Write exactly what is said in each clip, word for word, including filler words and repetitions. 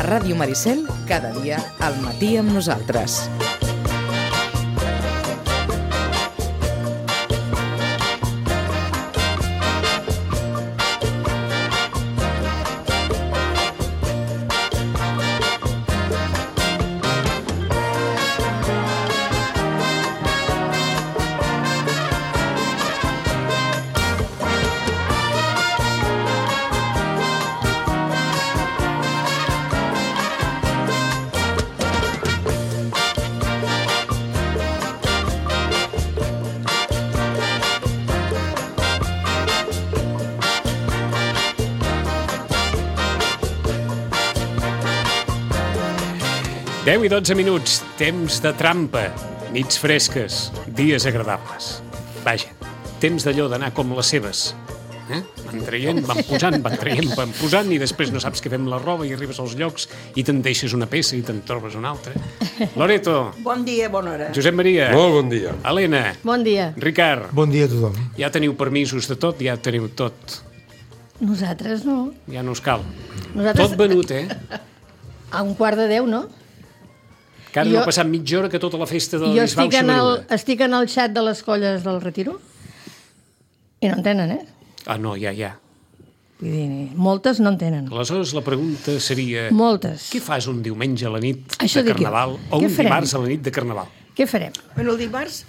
Ràdio Maricel, cada dia al matí amb nosaltres. deu i dotze minuts, temps de trampa, nits fresques, dies agradables. Vaja, temps d'allò d'anar com les seves. Eh? Van traient, van posant, van traient, van posant, i després no saps què fer amb la roba i arribes als llocs i te'n deixes una peça i te'n trobes una altra. Loreto. Bon dia, bona hora. Josep Maria. Molt bon dia. Helena. Bon dia. Ricard. Bon dia a tothom. Ja teniu permisos de tot, ja teniu tot. Nosaltres no. Ja no us cal. Nosaltres... Tot venut, eh? A un quart de deu, no? Que ara jo... no ha passat mitja hora que tota la festa de jo l'Isbau estic s'ha en, el, venuda. estic en el xat de les colles del Retiro i no en tenen, eh? Ah, no, ja, ja. Vull dir, moltes no en tenen. Aleshores, la pregunta seria... Moltes. Què fas un diumenge a la nit Això de dic jo. Carnaval o Què un farem? dimarts a la nit de Carnaval? Què farem? Bueno, el dimarts,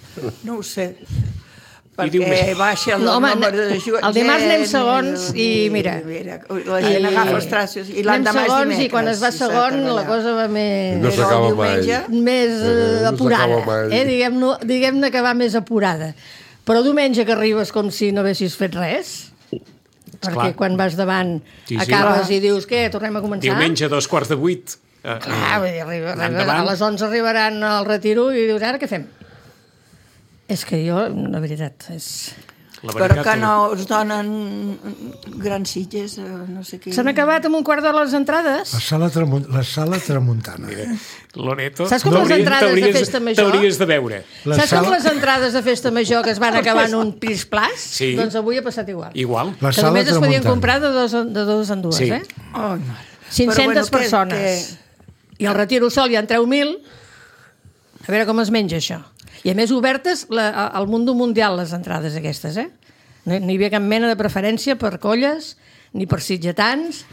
no ho sé, I perquè diumenge. baixa el No, home, número de gent. el dimarts anem segons i mira. La gent I- agafa els traços i Anem l'endemà és segons dimecres. i quan es va i s'ha de segon la treballar. cosa va més... No Però s'acaba el mai. diumenge, més eh, no apurada, s'acaba mai. eh? Diguem-ne diguem que va més apurada. Però diumenge que arribes com si no haguessis fet res, perquè Clar. quan vas davant Sí, sí. acabes i dius, què, tornem a començar? Diumenge, dos quarts de vuit. Eh, Clar, vull dir, arriba, arriba, endavant. a les onze arribaran al Retiro i dius, ara què fem? És que jo, la veritat, és... La però veritat, que no us donen grans sitges, eh, no sé què. S'han acabat amb un quart de les entrades? La sala, tramu la sala tramuntana. Mira, Loreto, Saps com les t'hauries- entrades de t'hauries- festa major? T'hauries de veure. La Saps com sala- les entrades de festa major que es van acabar en un plis-plas? Sí. Doncs avui ha passat igual. Igual. La Que sala només es podien tramuntana. comprar de dos, en- de dos en dues, Sí. eh? Oh, no. cinc-centes Però, bueno, persones. I al Retiro sol ja en treu mil. A veure com es menja això. I a més obertes la, al Mundo Mundial les entrades aquestes, eh? No, no hi havia cap mena de preferència per colles, ni per sitgetans,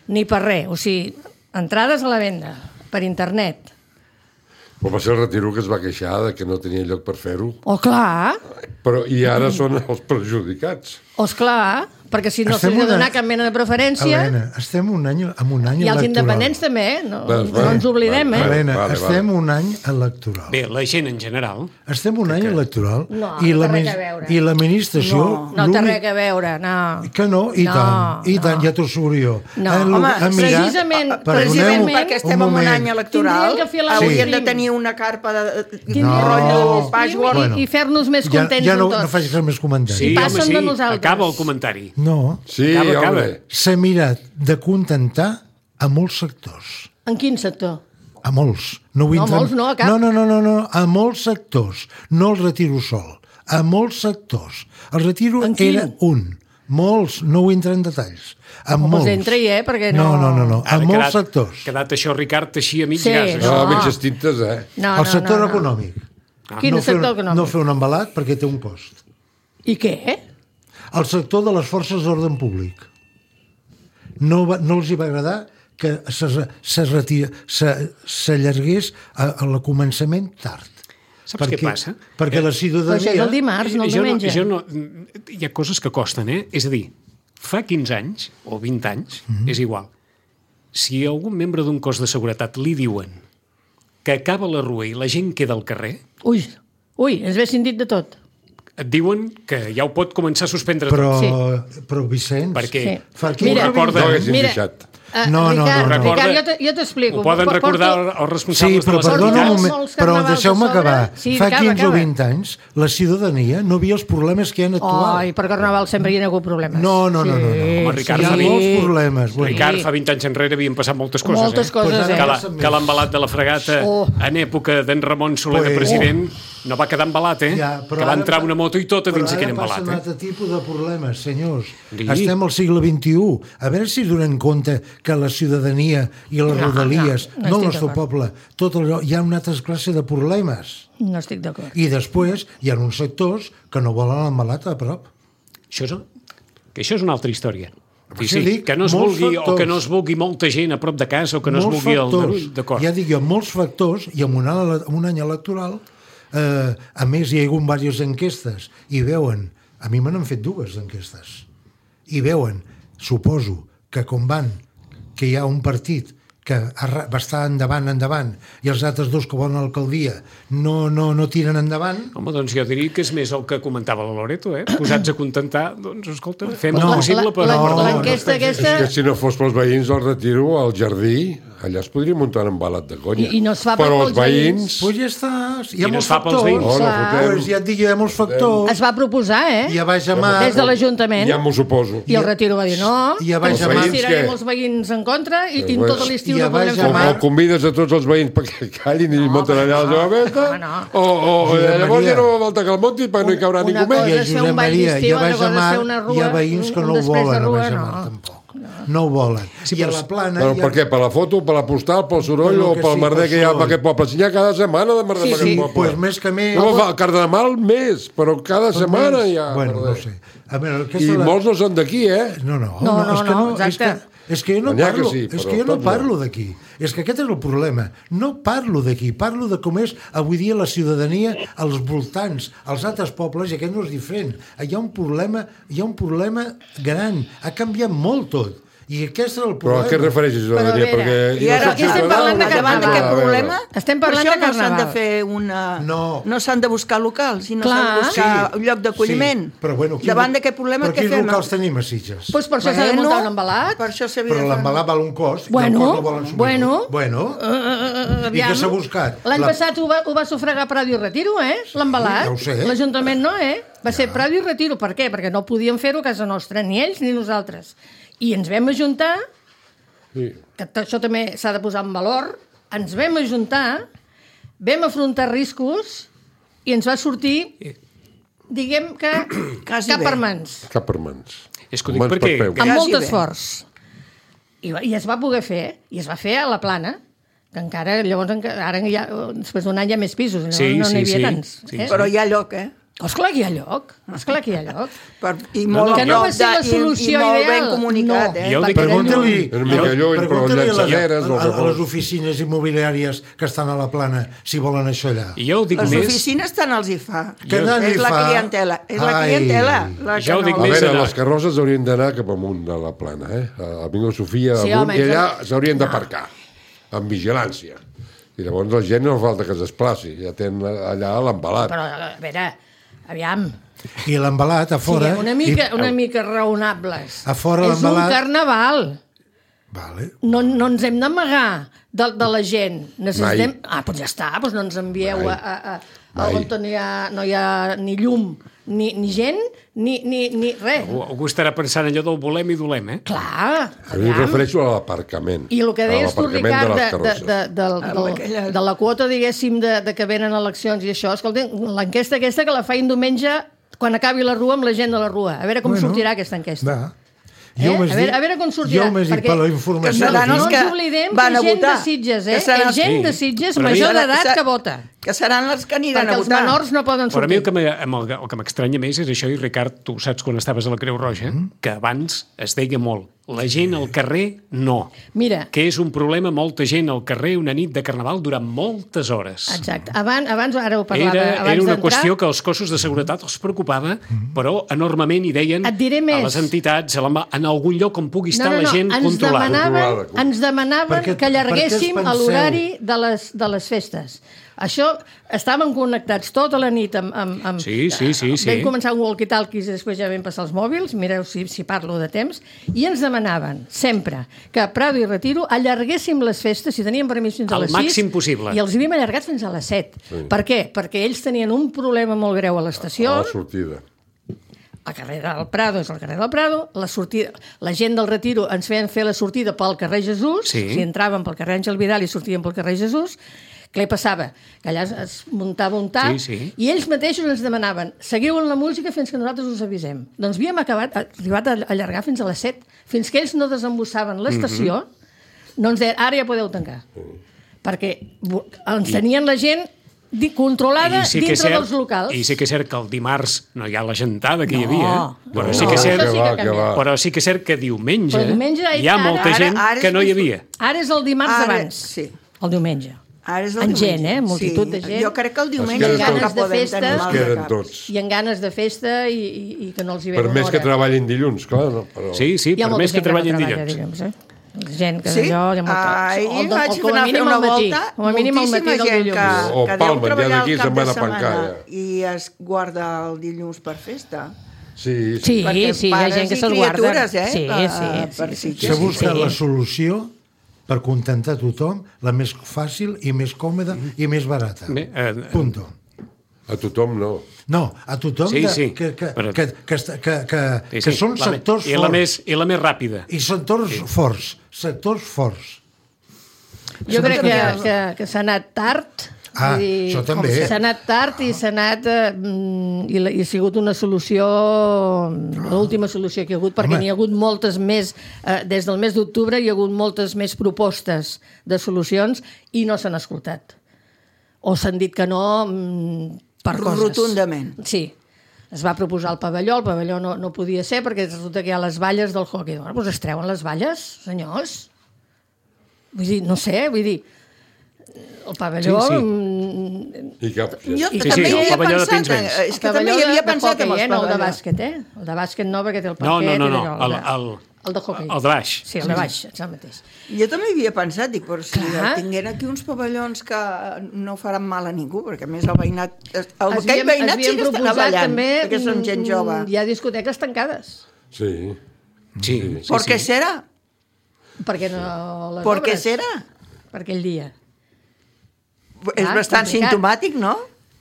ni per res. O sigui, entrades a la venda, per internet. Però va ser el Retiro que es va queixar de que no tenia lloc per fer-ho. Oh, clar, Però i ara són els perjudicats. oh, esclar, perquè si no Estem s'hi ha de una- donar cap mena de preferència... Helena, estem un any, amb un any I els electoral. independents també, eh? No, Ves, no ens oblidem, vale, eh? Helena, Vale, estem un any electoral. Bé, la gent en general... Estem un any electoral No, i, no la té res mis- a veure. i l'administració... No, No té l'únic- res a veure, no. Que no, i No, tant, i tant, no. ja t'ho asseguro jo. No, Eh, home, a mirar- precisament- perdoneu Precisament un- perquè estem un en un moment. any electoral, Tindríem que fer la haurien stream. de tenir una carpa de, de Tindríem No. que fer rotllo el stream patchwork. i, Bueno. i fer-nos més Ja, contents ja no, amb tots. no faig més comentaris. Sí, passen home, sí. de nosaltres. Acaba el comentari. No, Sí, Acaba, home. acaba. s'ha mirat de contentar a molts sectors. En quin sector? A molts. No, vull No, entrar- molts no, a cap. No, no, no, no, no, a molts sectors. No el Retiro sol. A molts sectors. El Retiro En quin? era un. Molts, no vull entrar en detalls. A Doncs molts. entra-hi, eh, perquè no... No, no, no, no. a Ara molts quedat, sectors. quedat això, Ricard, així a mig Sí, gas. No, Això. no. mitges tintes, eh? No, El no, sector no, no. econòmic. Quin no fer sector un, econòmic? No fer un embalat perquè té un cost. I què? El sector de les forces d'ordre públic. No, va, no els hi va agradar que s'allargués a, a la començament tard. Saps perquè, què passa? Perquè la Però això és ciutadania... el dimarts, no el jo diumenge. jo no, hi ha coses que costen, eh? És a dir, fa quinze anys o vint anys, Mhm. és igual, si a algun membre d'un cos de seguretat li diuen que acaba la rua i la gent queda al carrer, Ui, ui, ens haguessin dit de tot. et diuen que ja ho pot començar a suspendre Però, tot. Sí. però Vicenç... Perquè Sí. Fa Mira, quinze, recorda- No vint haguessin anys. Mira, deixat. Uh, No, no, Ricard, no, no. Ricard, Recorda- jo te- jo t'explico. Ho poden Por- recordar porto- els responsables Sí, però de les perdona un entitats. moment, molts però carnavals deixeu-me a sobre. acabar. Sí, Fa acaba, quinze o acaba. vint anys la ciutadania no via els problemes que hi ha actual. Ai, per Carnaval sempre hi ha hagut problemes. No, no, no, no, no. Home, Ricard, Hi ha fa vint- molts problemes. Bueno, Ricard, fa vint anys enrere havien passat moltes coses, Moltes eh? coses, Pues ara eh? Que, la, passen que l'embalat de la fregata Oh. en època d'en Ramon Soler de Pues- president no va quedar embalat, eh? Ja, que va entrar una moto i tota dins aquell embalat. Però ara passa un altre tipus de problemes, senyors. Sí. Estem al segle vint-i-u. A veure si donen compte que la ciutadania i les No, rodalies, no, no no el estic nostre d'acord. poble, tot allò, hi ha una altra classe de problemes. No estic d'acord. I després hi ha uns sectors que no volen l'embalat a prop. Això és, que això és una altra història. Per Sí, això sí, dic, que no es molts vulgui, o factors. que no es vulgui molta gent a prop de casa, o que no Molts es vulgui el factors. Darull, d'acord. Ja dic jo, molts factors, i en un, any- en un any electoral, eh, a més hi ha hagut diverses enquestes, i veuen, a mi me n'han fet dues enquestes, i veuen, suposo, que com van, que hi ha un partit que arra- va estar endavant, endavant, i els altres dos que volen l'alcaldia no, no, no tiren endavant. Home, doncs jo diria que és més el que comentava la Loreto, eh? Posats a contentar, doncs escolta, fem No, el possible per... la- no, no, L'enquesta no, aquesta... És que si no fos pels veïns al Retiro, al jardí, allà es podria muntar un embalat de conya. I- i no es fa Però pels els veïns... Doncs ja està, hi ha I no molts es fa pels factors. veïns. Oh, no Clar. fotem. Pues ja et dic, hi ha molts factors. Es va proposar, eh? I a baix a mar... Des de l'Ajuntament. Ja m'ho suposo. I el Retiro va dir no, I a baix ens a mar- tirarem què? els veïns en contra i, i Pues- tot l'estiu i a no podrem baix fer a O, mar- o convides a tots els veïns perquè callin i munten allà la seva festa, no, no. o, o, o Josep llavors Maria. ja no fa falta que el munti perquè no hi caurà Una ningú cosa més. I a és fer un Josep ball Maria, d'estiu, i a altra baix a cosa és mar fer una rua, hi ha veïns que un no ho després de volen a rua, baix a no. mar, tampoc. No ho volen. I a la plana... Però hi ha- per què? Per la foto, per la postal, pel soroll Per lo o que pel sí, merder pel que hi ha en soroll. aquest poble? Si n'hi ha cada setmana de merder Sí, en aquest sí. poble. Pues més que més... No, fa, carnaval més, però cada setmana hi ha Bueno, no merder. sé. A veure, aquesta I la... molts no són d'aquí, eh? No, no, No, no, és que no, no, és que, exacte. és que jo no N'hi ha que parlo, sí, és però que jo no tots no. parlo d'aquí. És que aquest és el problema. No parlo d'aquí, parlo de com és avui dia la ciutadania als voltants, als altres pobles, i aquest no és diferent. Hi ha un problema, hi ha un problema gran. Ha canviat molt tot. I aquest és el Però problema. a què es refereixes, Però a ciutadania? veure, Perquè I jo ara, soc aquí estem ciutadà, parlant de o no? davant carnaval. d'aquest A veure. problema, Estem per parlant això de no s'han de carnaval. fer una... No. No s'han de buscar locals, sinó Clar. s'han de buscar Sí, un lloc d'acolliment. sí, però bueno, quin- Davant d'aquest problema, però què quins fem? locals tenim a Sitges? Doncs per això s'ha de muntar un embalat. Per això s'havia Però de fer- l'embalat val un cost, Bueno, i el cost no volen assumir. bueno. Bueno. Uh, uh, I aviam. què s'ha buscat? L'any La- passat ho va, ho va sufragar Prado i Retiro, eh? L'embalat. Ja ho sé. L'Ajuntament no, eh? Va ser Prado i Retiro. Per què? Perquè no podíem fer-ho a casa nostra, ni ells ni nosaltres. I ens vam ajuntar, Sí. que t- això també s'ha de posar en valor, ens vam ajuntar, vam afrontar riscos i ens va sortir, diguem que, Quasi cap bé. per mans. Cap per mans. És que ho dic Mans per perquè- peus. Amb Quasi molt bé. esforç. I, va- I es va poder fer, i es va fer a la Plana, que encara, llavors, enca- ara ja, després d'un any hi ha més pisos, no Sí, no n'hi sí, havia sí. tants. Sí, eh? Però hi ha lloc, eh? Esclar que hi ha lloc, esclar que hi ha lloc. Per, I No, molt no, a que no prop va ser la de- i- solució i molt ideal. ben comunicat, No. eh? Jo ho dic- Perquè Pregunta-li, Una mica lluny, però pregunta-li a, les, llançaderes, a, no a, sé a les com. oficines immobiliàries que estan a la Plana si volen això allà. I jo ho dic les més... oficines tant els hi fa. Que tant és li la fa? clientela. És la Ai. clientela. La Ja ho que dic no... A més veure, anar. les carrosses haurien d'anar cap amunt de la plana, eh? A Avinguda Sofia, Sí, amunt, home, i allà això- s'haurien d'aparcar, amb vigilància. I llavors la gent no fa falta que es desplaci, ja tenen allà l'embalat. Però, a veure, aviam, I l'embalat a fora... siguem una mica, I, una mica raonables. A fora És un l'embalat- carnaval. Vale. No, no ens hem d'amagar de, de la gent. Necessitem... Mai. Ah, doncs ja està, doncs no ens envieu Mai. a, a, a, Mai. on no hi, ha, no hi ha ni llum, ni, ni gent, ni, ni, ni res. Algú estarà pensant allò del volem i dolem, eh? Clar, A mi em aviam. refereixo a l'aparcament. I el que a deies tu, l'aparcament Ricard, de de, les de, carrosses. de, de, de, aquella- de, de la quota, diguéssim, de, de que venen eleccions i això, escolta, l'enquesta aquesta que la faig diumenge quan acabi la rua amb la gent de la rua. A veure com Bueno, sortirà aquesta enquesta. Va. Eh? Jo m'has A veure- dit- a veure com sortirà, Jo m'has dit perquè- per la que informació. seran No els ens que oblidem que van a és gent de votar. Sitges, eh? Que seran És els- gent Sí. de Sitges Però a mi- major Serà- d'edat ser- que vota. Que seran els que aniran Perquè a els votar. menors no poden Però a mi el sortir. que me- amb el, el que m'estranya més és això, i Ricard, tu saps quan estaves a la Creu Roja, que abans es deia molt, la gent al carrer no. Mira, Que és un problema, molta gent al carrer una nit de carnaval durant moltes hores. exacte. Abans, abans ara ho parlava, Era, abans era una d'entrar, qüestió que els cossos de seguretat els preocupava, però enormement hi deien Et diré més. a les entitats, a la, en algun lloc on pugui estar no, no, no, la gent ens controlada. demanaven, Controlada. ens demanaven Perquè- que allarguéssim perquè us penseu- l'horari de, les, de les festes. Això, estàvem connectats tota la nit amb... amb, amb Sí, sí, sí, sí. Vam començar amb walkie-talkies i després ja vam passar els mòbils, mireu si, si parlo de temps, i ens demanaven sempre que a Prado i Retiro allarguéssim les festes, si teníem permís fins a Al les sis, màxim possible. i els havíem allargat fins a les set. Per què? Perquè ells tenien un problema molt greu a l'estació, A la sortida. el carrer del Prado és el carrer del Prado, la, sortida, la gent del Retiro ens feien fer la sortida pel carrer Jesús, Sí. si entraven pel carrer Àngel Vidal i sortien pel carrer Jesús, Què passava? Que allà es muntava un tap Sí, sí. i ells mateixos ens demanaven seguiu en la música fins que nosaltres us avisem. Doncs havíem acabat, arribat a allargar fins a les set. Fins que ells no desembussaven l'estació, mm-hmm. no ens deien, ara ja podeu tancar. Perquè ens tenien la gent di- controlada sí dintre cert, dels locals. I sí que és cert que el dimarts no hi ha la gentada que hi No. havia, però, No, sí que és cert, això sí que va, ha que va. canviat. però sí que és cert que diumenge, Però diumenge hi ha ara- molta ara- gent ara és que no hi més- havia. Ara és el dimarts Ara, d'abans, sí. el diumenge. Ara és el En diumenge. gent, eh? Multitud sí. de gent. Jo crec que el diumenge queden és el que tots. podem Es tenir mal de queden caps. tots. I en ganes de festa i, i, i que no els hi ve Per una més hora. que treballin dilluns, clar, no? Però... Sí, sí, Hi ha per molta més que gent no treballin treballa dilluns. dilluns, eh? Gent que Sí? d'allò... Hi ha molta... Ahir o, vaig o, com anar a a fer mínim una al matí. volta, Com a mínim al matí moltíssima del gent dilluns. que, O que Palma, deu dia treballar d'aquí el cap se'n de van a setmana Pancalla. i es guarda el dilluns per festa. Sí, sí. Sí, Perquè sí, hi ha pares gent que i se'l guarda. criatures, eh, Sí, per- sí, per sí, sí, Sitges. S'ha sí, buscat sí. la solució per contentar tothom, la més fàcil i més còmoda i més barata. Bé, eh, Punto. A tothom no. No, a tothom Sí, de, sí, que, que, però- que, que, que, que, que, Sí, que sí, són la me- sectors I la, forts. més, I la més ràpida. I sectors sí. forts. Sectors forts. Jo crec que, que, que s'ha anat tard. Ah, vull dir, això també. com S'ha anat tard i s'ha anat... Eh, mm, i, la, I ha sigut una solució, l'última solució que hi ha hagut, perquè Home. n'hi ha hagut moltes més, eh, des del mes d'octubre hi ha hagut moltes més propostes de solucions i no s'han escoltat. O s'han dit que no mm, per coses. Rotundament. Sí. Es va proposar el pavelló, el pavelló no, no podia ser perquè resulta que hi ha les valles del hockey. Bueno, doncs es treuen les valles, senyors. Vull dir, no sé, vull dir, el pavelló... Sí, sí. mm, I cap... Jo Sí, sí, sí, també el hi havia pavelló de pensat, Pinsbens. eh, és el que també pavelló hi havia de, de pensat hoquei, amb els eh, no el de pavellons. bàsquet, eh? El de bàsquet no, perquè té el No, parquet no, no, i no, allò, el, de- el, el de hoquei. el de baix. Sí, el de baix, és el mateix. Jo també hi havia pensat, dic, però si Clar. tingueren aquí uns pavellons que no faran mal a ningú, perquè a més el veïnat, el, Es aquell havíem- veïnat es sí havien que està proposat ballant, també, perquè són gent mm, jove. Hi ha discoteques tancades. Sí. Sí, sí, ¿Por qué sí. será? Perquè no les ¿Por qué obres. será? Per aquell dia. És Ah, bastant complicat. simptomàtic, no?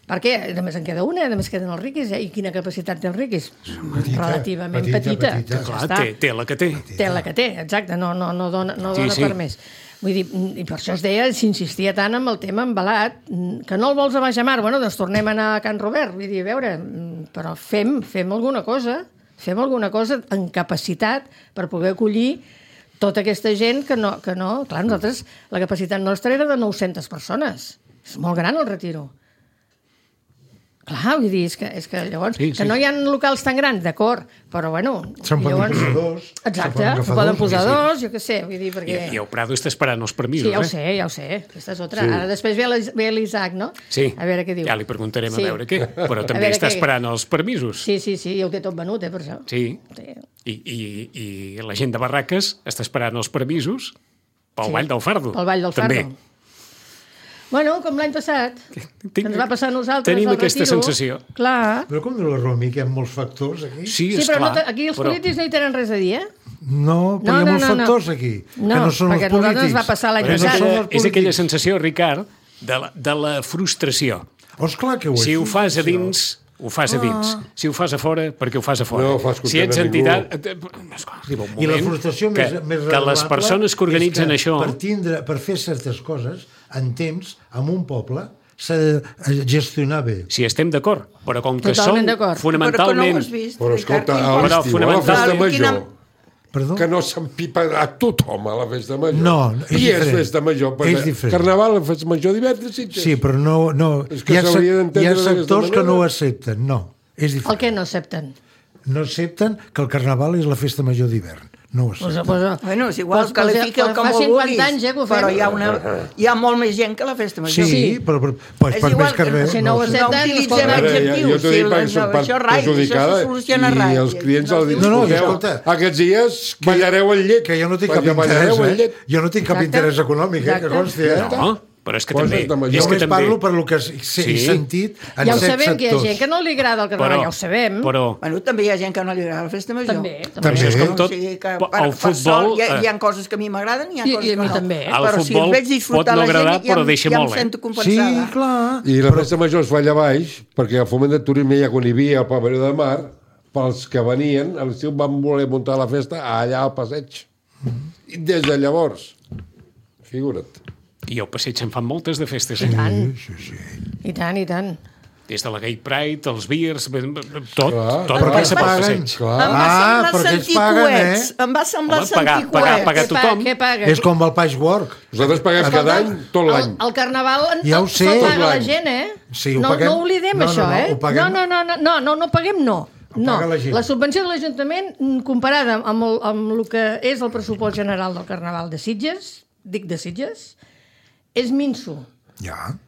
Per què? Només en queda una, només queden els riquis, eh? I quina capacitat té els riquis? Petita, Relativament petita, petita. petita. Ja Clar, està. té, té la que té. Té la que té, exacte, no, no, no dona, no Sí, dona sí. per més. Vull dir, i per això es deia, s'insistia tant amb el tema embalat, que no el vols a Baixamar, bueno, doncs tornem a anar a Can Robert, vull dir, a veure, però fem, fem alguna cosa, fem alguna cosa en capacitat per poder acollir tota aquesta gent que no, que no... Clar, nosaltres, la capacitat nostra era de nou-centes persones. És molt gran el retiro. Clar, vull dir, és que, és que llavors... Sí, Sí, sí. Que no hi ha locals tan grans, d'acord, però bueno... Se'n poden llavors- posar dos. Exacte, se'n se'n poden posar sí. dos, jo què sé, vull dir, I, perquè... I el Prado està esperant els permisos, Sí, ja ho eh? sé, ja ho sé, aquesta és otra. Sí. Ara després ve l'Is- ve l'Isaac, no? Sí, A veure què diu. ja li preguntarem Sí. a veure què. Però A també veure està què- esperant els permisos. Sí, sí, sí, ja ho té tot venut, eh, per això. Sí. Sí. I, i, I la gent de Barraques està esperant els permisos pel Sí. Vall del Fardo. Pel Vall del Fardo. També. Bueno, com l'any passat, Tinc- que ens va passar a nosaltres tenim al aquesta retiro. sensació. Clar. Però com diu la Romi, que hi ha molts factors aquí? Sí, Sí, és però clar. no, te- aquí els però... polítics no hi tenen res a dir, eh? No, però No, hi ha no, molts no, no. factors aquí, No, que no són perquè a els polítics. nosaltres ens va passar l'any Però és, Que no passat. són aquella, els és aquella polítics. sensació, Ricard, de la, de la frustració. Oh, esclar que ho és. Si ho fas a dins, ho fas a dins. Si ho fas a fora, perquè ho fas a fora. No fas si ets content a entitat... Esclar, arriba un moment I la frustració que, més, més que les revelable persones que organitzen és que això... Per, tindre, per fer certes coses, en temps, en un poble, s'ha de gestionar bé. Si estem d'acord, però com que Totalment som d'acord. Però que no fonamentalment... ho has vist, Però escolta, Ricard, a Però l'estiu, a la fonamental- festa Quina- major, Perdó? que no s'empipa a tothom a la festa major. No, és I és diferent. festa major. És perquè diferent. Carnaval, festa major d'hivern, Sitges. Sí, però no... no És que hi, ha, sec- s'hauria d'entendre hi ha d'aquesta sectors que manera. no ho accepten, no. És El diferent. que no accepten? No accepten que el Carnaval és la festa major d'hivern. No ho Pues, accepten. pues, Bueno, és igual, pues, que qualifiqui el que fa molt cinquanta vulguis, anys, eh, que ho fem. però hi ha, una, hi ha molt més gent que la festa Sí, major. sí, però, però pues, És per igual, més que res... si no ho ho sé. accepten, No utilitzem escolta, A veure, ja- adjectius, jo t'ho si dic la- perquè soc part això rai, perjudicada això se soluciona i rai. els clients No, els diuen, no, no, escolteu, escolta, aquests dies ballareu el llet. Que jo no tinc cap Perquè ballareu interès, el eh? llet. Jo no tinc cap Exacte. interès econòmic, eh, que Exacte. consti, eh? No, però és que Coses també... de major. És Jo que només també parlo per lo que he Sí. sentit en ja ho set sabem, que hi ha sectors. gent que no li agrada el Carnaval, Però, ja ho sabem. però, Bueno, també hi ha gent que no li agrada la festa major. També, També. Això és com tot. O sigui que, El per, per futbol, sort, hi, ha, eh, hi ha coses que a mi m'agraden i hi ha I- coses i a que mi no. també. El Però si futbol els veig disfrutar pot no la gent, agradar, ja, però em- deixa ja molt, em eh? sento Sí, compensada. clar. I la festa major es fa allà baix, perquè al foment de turisme ja quan hi havia el pavelló de mar, pels que venien, a l'estiu van voler muntar la festa allà al passeig. I des de llavors, figura't. I al passeig se'n fan moltes de festes. I Eh? tant, Sí, sí. i tant, i tant. Des de la Gay Pride, els beers, tot, Clar, tot però passa que pel paguen. passeig. Clar. Em va Ah, semblar perquè ells sentir paguen, coets. eh? Em va semblar Home, pagar- sentir pagar- coets. pagar Què pa- tothom. Què paga? És com el patchwork. Nosaltres paguem Escolta, cada any, tot l'any. El, el carnaval en, Ja ho sé. se'l Tot paga la l'any. gent, eh? Sí, ho no, paguem. no oblidem No, no, això, no, eh? ho paguem. No, no, no, no, no, no, no paguem, no. Ho No, paga la gent. la subvenció de l'Ajuntament, mm, comparada amb el, amb el que és el pressupost general del Carnaval de Sitges, dic de Sitges, és minso. Ja.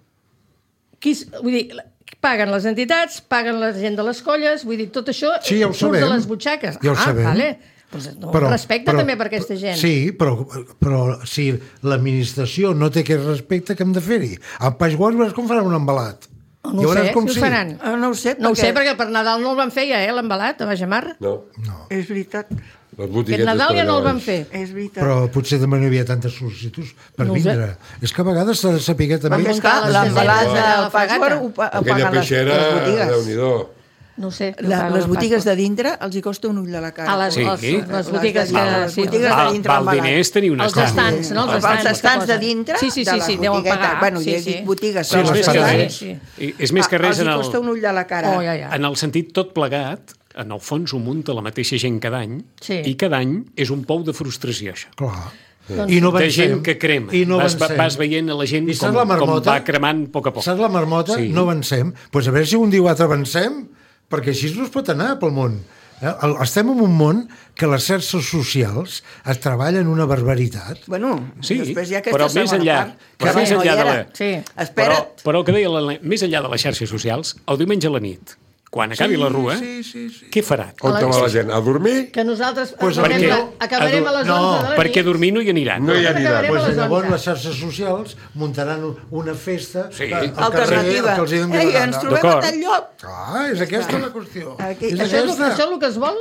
Qui, s- vull dir, paguen les entitats, paguen la gent de les colles, vull dir, tot això Sí, ja ho surt de sabem. les butxaques. Ja ho ah, sabem. Vale. Pues, no, però, respecte però, també per aquesta gent. Sí, però, però si l'administració no té aquest respecte, què hem de fer-hi? Al patchwork veuràs com faran un embalat. No I ho veuràs sé, com si sí. ho faran. Ah, no ho sé, No ho sé, perquè perquè per Nadal no el van fer ja, eh, l'embalat, a Bajamar. No, és veritat, les Aquest botiguetes Nadal ja no el per allà van baix. fer. és veritat. Però potser també no hi havia tantes sol·licituds per No ho sé. vindre. És que a vegades s'ha de saber també... Perquè, esclar, les l'embalat casetes de del la fragata. patchwork ho, pa- ho Aquella paguen les, peixera, les botigues. Déu-n'hi-do. No ho sé. no La, paguen les el botigues pastor. de dintre els hi costa un ull de la cara. A les, Sí. les, les botigues que... Les sí, botigues de Val, dintre val embalat. diners tenir un Els estant. estants, no? Els Els estants, estants que de posen. dintre Sí, sí, de sí, la sí, deuen botigueta. pagar. Bueno, sí, ja he sí. dit botigues. Sí, però les És més que pagades. res, Sí, i és més que Ah, res els en hi el, costa un ull de la cara. Oh, ja, ja. en el sentit tot plegat, en el fons ho munta la mateixa gent cada any, Sí. i cada any és un pou de frustració, això. Clar. Doncs- I no De avancem. gent que crema. I no vas, avancem. vas veient a la gent I com, saps la com marmota? va cremant a poc a poc. Saps la marmota? Sí. No avancem. Doncs pues a veure si un dia o altre avancem, perquè així no es pot anar pel món. Eh? El- Estem en un món que les xarxes socials es treballen una barbaritat. Bueno, Sí, després hi ha però aquesta més segona enllà, part. però que més no hi enllà de era. la... Sí. Però, Espera't. però el que deia, la, més enllà de les xarxes socials, el diumenge a la nit, quan acabi la rua, Sí, sí, sí. què farà? On te va la gent? A dormir? Que nosaltres Pues acabarem, perquè- la, acabarem a les No, onze de la Perquè nit. dormir no hi aniran. No hi aniran. Acabarem Pues a les llavors onze. les xarxes socials muntaran un- una festa Sí. al carrer Alternativa. que els hi doni Ei, la ens gana. trobem a D'acord. tal lloc. Ah, és aquesta la qüestió. Aquí- és Això és, el, aquesta. això és el que es vol?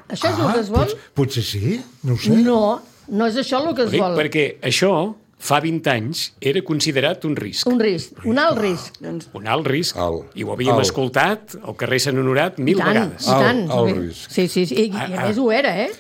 Això és el Ah, que es vol? pot, potser sí, no ho sé. No, no és això el que Ho es dic vol. perquè això, fa vint anys, era considerat un risc. Un risc, un alt risc. Doncs, Un alt risc. Alt. I ho havíem Alt. escoltat al carrer Sant Honorat mil I tant, vegades. i tant. Alt- alt risc. Sí, sí, sí. I, i a més ho era, eh?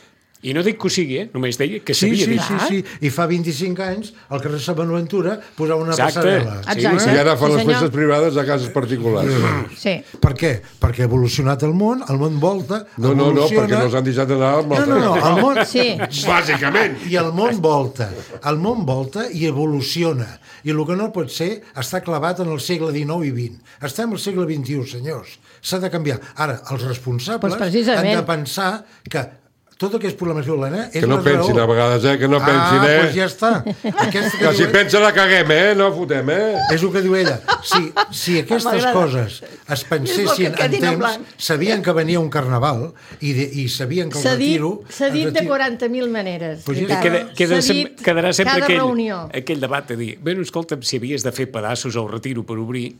I no dic que ho sigui, eh? Només deia que Sí, s'havia sí, dit. sí, sí. I fa vint-i-cinc anys, al carrer Sant Bonaventura, posava una Exacte. passarel·la. Sí, Exacte. I ara fan Sí, les senyor. festes privades a cases particulars. Sí. Per què? Perquè ha evolucionat el món, el món volta, No, no, no, evoluciona... perquè no s'han deixat anar amb No, el no, no, el món... Sí. Bàsicament. I el món volta, el món volta i evoluciona. I el que no pot ser està clavat en el segle dinou i vint. Estem al segle vint-i-u, senyors. S'ha de canviar. Ara, els responsables Pues precisament. han de pensar que tot aquest problema que l'Helena és Que no la pensin raó. a vegades, eh? Que no pensin, ah, eh? doncs ja està. Aquesta que Que si diu, pensa la caguem, eh? No fotem, eh? és el que diu ella. Si, si aquestes M'agrada. coses es pensessin És el que en quedin en temps, blanc. sabien que venia un carnaval i, de, i sabien que el S'ha dit, retiro... s'ha el dit de retiro- quaranta mil maneres. Pues ja veritat. Queda, queda, S'ha sem dit quedarà sempre cada aquell, reunió. aquell debat de dir, bé, no, escolta'm, si havies de fer pedaços al retiro per obrir,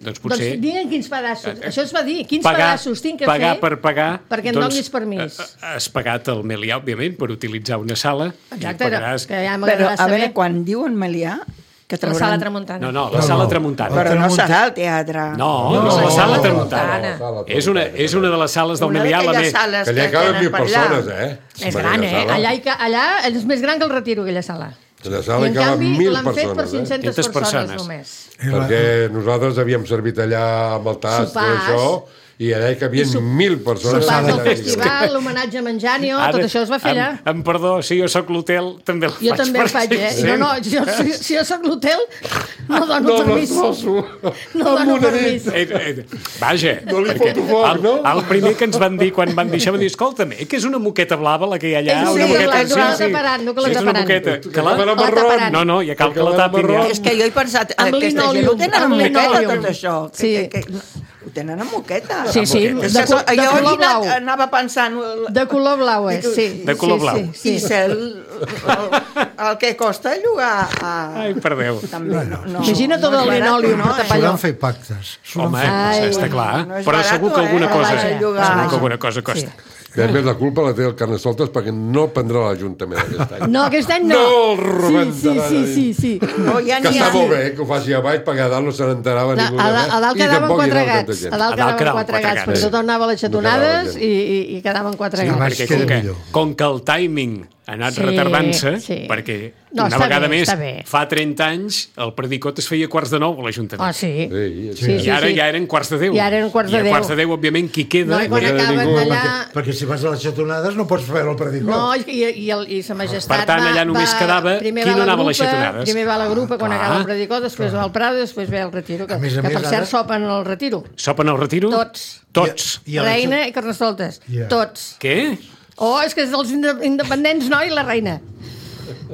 doncs potser... Doncs digue'n quins pedassos. Això es va dir. Quins pagar, pedassos tinc que pagar fer per pagar... perquè em donis permís. eh, Has pagat el Melià, òbviament, per utilitzar una sala. Exacte, i pagaràs... que ja però, m'agradarà a saber. veure, quan diuen Melià, que La trauran... sala tramuntana. No, no, la No, sala no. tramuntana. Però no Tramuntana. serà el teatre. No, No, no, és la no, sala no, tramuntana. no. És una, és una de les sales del Una Melià la d'aquelles més... sales Que allà que caben tenen mil per allà. persones, eh? És gran, eh? Allà, hi ca... allà és més gran que el retiro, aquella sala. A la I sala en hi caben canvi mil l'han fet per persones, eh? cinc-centes cinc-centes persones, persones. només. Perquè nosaltres havíem servit allà amb el tas, tot Sopars. això, i allà hi cabien I sop- mil persones. Sopars del sala- festival, l'homenatge a Menjanio, tot això es va fer allà. Em, em perdó, si jo sóc l'hotel, també el faig. Jo també per el faig, eh? cent. No, no, jo, si, si jo sóc l'hotel, no dono No, no, permís. no, No dono permís. Eh, eh, vaja, No li perquè foto foc, el, no? el primer que ens van dir quan van dir això, van dir, escolta'm, eh, que és una moqueta blava la que hi ha allà, És una sí, moqueta... la- que l'ha taparat, no que l'ha Sí, és una taparat. moqueta. Que Que la... acabarà la marró. taparan. No, no, ja cal que la Acabarà tapin marró. ja. És que jo he pensat, Amb aquesta gent linòleum, ho tenen amb amb moqueta, linòleum. tot això. Que, Sí. que, que, ho tenen amb moqueta. Sí, sí, És de, que col- so- de jo color aquí blau. anava, anava pensant... De color blau, és, sí. De color sí, blau. Sí, sí, I sí. ser el, el, el que costa llogar a... Ai, per Déu. També, no, no, Imagina tot no el és barat, linòleum no, que eh? tapa allò. S'ho van fer pactes. S'ho van Home, fer- Ai. està clar. No és Però barato, segur que alguna eh? cosa... Vaja. Llogar. Segur que alguna cosa costa. Sí. I a més, la culpa la té el Carnestoltes perquè no prendrà l'Ajuntament aquest any. No, aquest any no. No el rebentarà Sí, sí, sí, sí, sí. No, ja Que n'hi està ha. molt bé, que ho faci a baix, perquè a dalt no se n'enterava La, ningú. a, da- a dalt quedaven quatre gats. A dalt A dalt quedaven quedaven quatre quatre gats, gats. perquè tothom anava a les No quedava xatonades gent. i, i, i quedaven quatre Sí, gats. baix Perquè queda com que, millor. com que el timing ha anat Sí, retardant-se, sí. perquè No, una està vegada bé, més, està bé. fa trenta anys, el predicot es feia quarts de nou a l'Ajuntament. Ah, sí. Sí, Sí, sí, I ara sí. ja eren quarts de deu. I ara eren quarts de I a deu. quarts de deu, òbviament, qui queda... No, i quan queda acaben ningú, allà... Perquè, perquè si vas a les xatonades no pots veure el predicot. No, i, i, el, i sa majestat Per tant, va, allà només va, quedava primer qui va no la anava a les grupa, xatonades. Primer va la grupa quan Clar. acaba el predicot, després va al Prado, després ve el retiro, que, A més a que més, per cert ara- sopen al retiro. Sopen al retiro? Tots. Tots. I a la Reina i Carnestoltes. Ja. Tots. Què? Oh, és que és dels inde- independents, no? I la reina.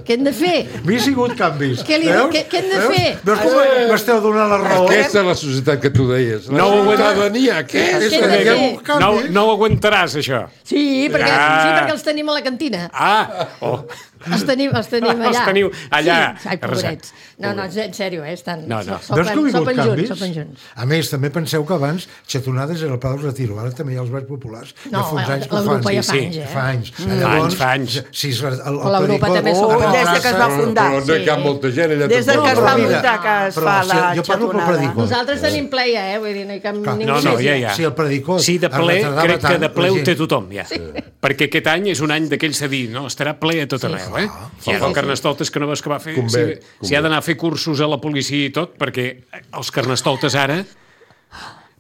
Què hem de fer? M'hi ha sigut canvis. Què li- Veus? què- què hem de Veus? fer? Veus com m'esteu donant la raó? Aquesta és la societat que tu deies. La No ho aguanta- ciutadania, què és? Què hem de Hi ha fer? un canvi. No, no ho aguantaràs, això. Sí, perquè, Ah. sí, perquè els tenim a la cantina. Ah, oh. Els tenim, els tenim allà. Els teniu allà. Sí, ai, pobrets. No, no, en sèrio, eh? Estan, No, no. Sopen, Veus que hi ha hagut sopen canvis? junts, sopen junts. A més, també penseu que abans xatonades era el Pla del Retiro, ara també hi ha els Balls Populars. No, Ja fa uns la- anys que la ho fan. Europa ja fa Sí, anys, sí, eh? fa anys. Fa anys, fa anys. Si és el, el, el L'Europa predicot- també s'ho Oh, fa. Des de que es va passa- fundar. Però no hi cap Sí. molta gent allà. Des de tampoc. que es Però va mira, muntar que es però fa si la jo parlo pel xatonada. predicot. Nosaltres tenim ple, ja, eh? Vull dir, no hi cap ningú No, no, ja, ja. Si el predicot Sí, de es ple, retardava crec que tant, de ple la ho gent- té tothom, ja. Sí. Perquè aquest any és un any d'aquells de dir, no, estarà ple a tot arreu, eh? I ara el Carnestoltes, que no veus que va fer... Convé, si, convé. si ha d'anar a fer cursos a la policia i tot, perquè els Carnestoltes ara,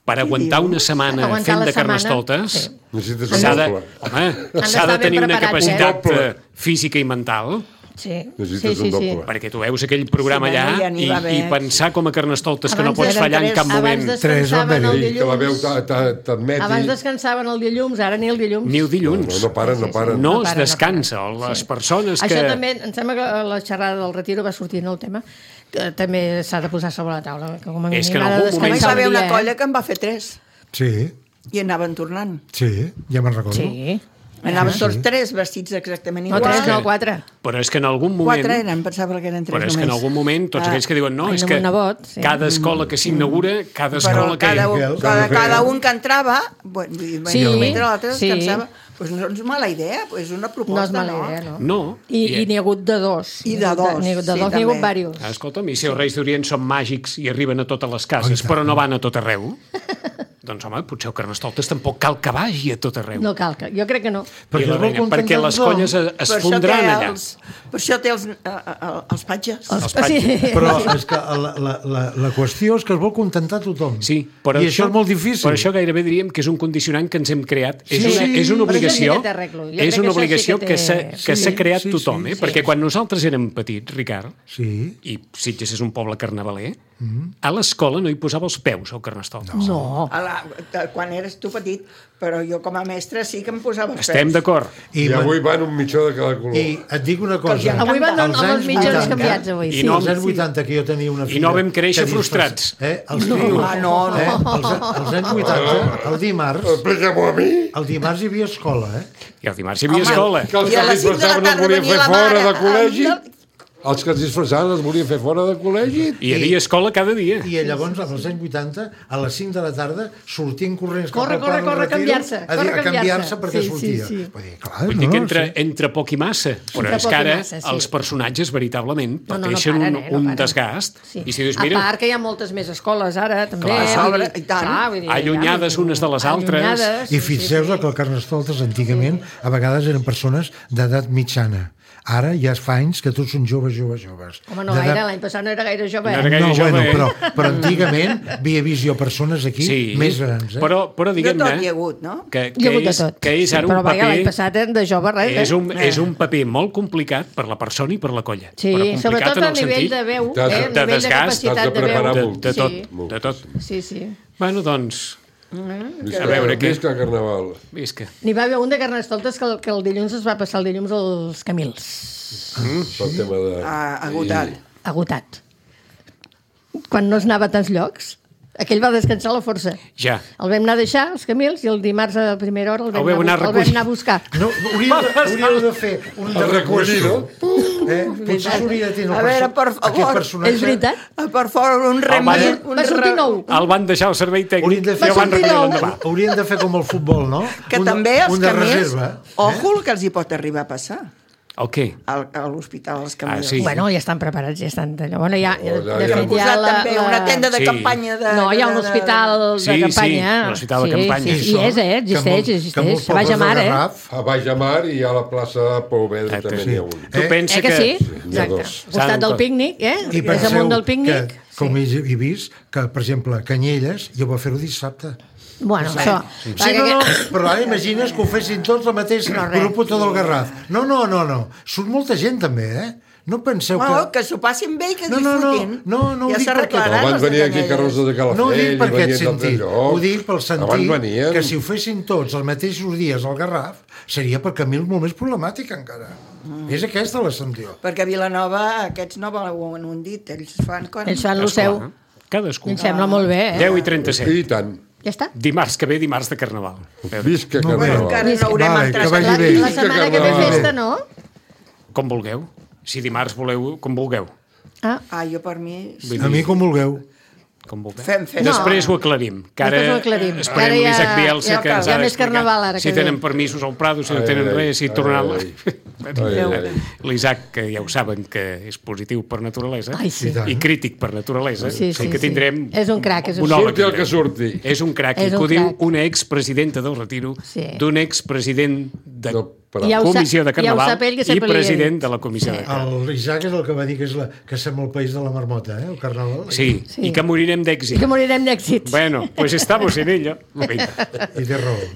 per aguantar una setmana Aguantar fent la de setmana, Carnestoltes, sí. Necessites un s'ha de, doble. home, d'estar s'ha de ben tenir una preparats, capacitat eh? eh, física i mental, Sí, sí, Necessites sí, un sí. doble. perquè tu veus aquell programa Sí, bueno, allà ja n'hi i, va haver. i pensar com a Carnestoltes que no Abans pots eren fallar en tres- cap moment. Abans Tres descansaven van el venir. I que la veu dilluns. ta- ta- t'admeti... Abans descansaven el dilluns, ara ni el dilluns. Ni el dilluns. No, no paren, no paren. No No es para, no descansa. para. Les Sí. persones que... Això també, em sembla que a la xerrada del retiro va sortir el tema, que també s'ha de posar sobre la taula. Que com a És mínim que en ha de algun A moment- mi descansar va un haver una dia, eh? colla que en va fer tres Sí, i anaven tornant. sí, ja me'n recordo. Sí. Anaven tots tres vestits exactament No, iguals. tres, no, quatre. Però és que en algun moment... Quatre eren, pensava que eren tres Però és que en només. algun moment tots Ah. aquells que diuen no, Ai, és no, que un nebot, sí. cada escola que s'inaugura, cada Però escola que... cada, un, Miquel, cada, també cada feia. un que entrava, bueno, i, Sí, sí, mentre l'altre sí. descansava, doncs no és mala idea, doncs és una No proposta, és mala idea, no. No. I, i n'hi ha hagut de dos. I de dos, N'hi ha hagut de sí, dos, n'hi ha hagut també. diversos. Ah, escolta'm, i si els Reis d'Orient són màgics i arriben a totes les Oh, cases, i tant. però no van a tot arreu, doncs, home, potser el Carnestoltes tampoc cal que vagi a tot arreu. No cal, que, jo crec que no. I la es vol reina, perquè contentar les tothom. colles es, es Per això fondran té allà. els, per això té els, eh, eh, els patges. Els patges. Sí. Però és que la, la, la, la qüestió és que es vol contentar tothom. Sí, però I això, és molt difícil. Per això gairebé diríem que és un condicionant que ens hem creat. És, Sí, una, sí. és una Però això obligació, sí que té arreglo. Jo és crec una que això sí obligació que que té- s'ha que Sí, s'ha creat sí, tothom, sí, eh? sí. Perquè quan nosaltres érem petits, Ricard, Sí. i Sitges és un poble carnavaler, a l'escola no hi posava els peus al Carnestoltes. No. A la, quan eres tu petit, però jo com a mestre sí que em posava els Estem peus. d'acord. I, I man- avui van un mitjó de cada color. I et dic una cosa. els hi Avui van Als amb els anys mitjons vuitanta, canviats, avui. I Sí, no- als anys sí. vuitanta, que jo tenia una filla... no vam créixer que frustrats. Eh? Els crios, Ah, no, no. Eh? Els, als anys vuitanta, el dimarts, Explica-m'ho a mi. el dimarts hi havia escola, eh? I el dimarts hi havia Home, escola. Que els I a que les es cinc de la disfressaven els tarda volien venia fer la fora mare de col·legi. amb- Els que es disfressaven els volien fer fora de col·legi. I hi havia escola cada dia. I llavors, als anys vuitanta, a les cinc de la tarda, sortien corrents Corre, cap al corre, Pla del corre, Retiro canviar-se, a, dir, corre, a canviar-se canviar-se. perquè Sí, sortia. sí, sí. Vull dir, clar, Vull no, dir que entre, sí. entre poc i massa, però Entre és poc que i ara massa, sí. els personatges veritablement No, no, no pateixen paren, un, eh, no un paren. desgast. Sí. I si dius, A mira, part que hi ha moltes més escoles ara, també. Clar. vull Sobre, dir, i tant. clar, vull dir, Allunyades ja, vull dir, unes de les altres. allunyades, I sí, fixeu-vos sí, sí. que el Carnestoltes antigament a vegades eren persones d'edat mitjana. Ara ja fa anys que tots són joves, joves, joves. Home, no D'edat- gaire, l'any passat no era gaire jove. No eh? era gaire no, jove, bueno, eh? però, però antigament havia vist jo persones aquí sí, més grans. Eh? però, però De tot diguem-ne hi ha hagut, no? que, Hi ha que, hagut de és, tot. que és ara Però un vaja, l'any paper... passat eren de jove res, eh? És un, és un paper molt complicat per la persona i per la colla. Sí, però complicat sobretot en a el nivell sentit de veu, de- eh? de A nivell de desgast, capacitat t'has de de preparar veu. molt. de, de tot, Sí. de tot. Sí, sí. Bueno, doncs, Visca, A veure, què- Visca el carnaval. visca. N'hi va haver un de Carnestoltes que, el, que el dilluns es va passar el dilluns als Camils. Pel tema de... Ah, agotat. Agotat. Quan no es anava a tants llocs, aquell va descansar a la força. Ja. El vam anar a deixar, els Camils, i el dimarts a primera hora el vam, El vau anar, anar a a bu- el vam recollir. anar a buscar. No, hauríeu, de, hauríeu de fer un de El recollir, no? Eh? Potser s'hauria de tenir A el veure, perso- per favor, aquest personatge. És veritat? Ah, Per fora, un va- remei... un Va sortir re- nou. El van deixar al servei Haurien tècnic de i fer, el van sortir recollir nou. l'endemà. haurien de fer com el futbol, no? Que un, també els un de camins... reserva. Ojo el que els hi pot arribar a passar. El què? al, a l'Hospital Els Camilers. Ah, sí. Bueno, ja estan preparats, ja estan d'allò. Bueno, ja, Oh, ja, de ja. fet, Han posat la, també la... una tenda de Sí. campanya de... No, hi ha un de- de- hospital de Sí, sí, campanya. l'hospital de campanya. Sí, sí, hi és, eh? Existeix, que existeix. molts A Baix pobles Amar, del eh? Garraf, A Baix de Mar i a la plaça de Poveda Ah, també sí. n'hi ha un. Tu Eh? pensa Eh que sí? n'hi ha Exacte. dos. Al costat del pícnic, eh? i És penseu amunt del pícnic. que, com he, he vist, que, per exemple, Canyelles, jo va fer-ho dissabte. Bueno, això... Sí, no, no, però ara imagines que ho fessin tots el mateix No, res. grup tot del Garraf. No, no, no, no. Surt molta gent, també, eh? No penseu Bueno, que... que s'ho passin bé i que No, no, no, disfrutin. no, no ho ja dic perquè- s'arreglaran Abans els de venien aquí Canyelles. carrozes de Calafell, No ho dic per aquest venien d'altres sentit, llocs. ho dic pel Abans sentit venien. que si ho fessin tots els mateixos dies al Garraf seria per Camil molt més problemàtic encara. Mm. És aquesta la sentiu. Perquè a Vilanova aquests no volen un dit, ells fan... Quan... Ells fan el seu. Esclar, Cadascú. Em sembla molt bé, eh? deu i trenta-set. I tant. Ja està. Dimarts que ve, dimarts de Carnaval. Visca No, Bueno, Carnaval. encara no haurem Vale, entrat. que vagi La, bé. la setmana que ve Carnaval. festa, no? Com vulgueu. Si dimarts voleu, com vulgueu. Ah, Ah, jo per mi... Sí. Vull A mi com vulgueu. Com vulgueu. Fem festa. Després ho aclarim. Que ara Després ho aclarim. esperem Ara ja- l'Isaac Bielsa, ja que ens cal. ha Hi ha més d'explicar carnaval ara si que tenen ve. permisos al Prado, si no Ai, tenen ai, res, si ai, tornaran... ai, ai, ai. L'Isaac, que ja ho saben que és positiu per naturalesa Ai, sí. i crític per naturalesa, Sí, sí, que sí. tindrem És un crac, és un monòleg. Surti el que surti. És un crac, És i que un ho diu crac. una expresidenta del retiro, Sí. d'un expresident de No, però- Ja ho sa- comissió de ja ho Carnaval sap ell, que i sempre li he president dit. de la comissió Sí. de Carnaval. L'Isaac és el que va dir que, és la, que som el país de la marmota, eh, el Carnaval. Sí, Sí. i que morirem I d'èxit. que morirem d'èxits. Bueno, pues estamos en ello. Vinga. I té raó.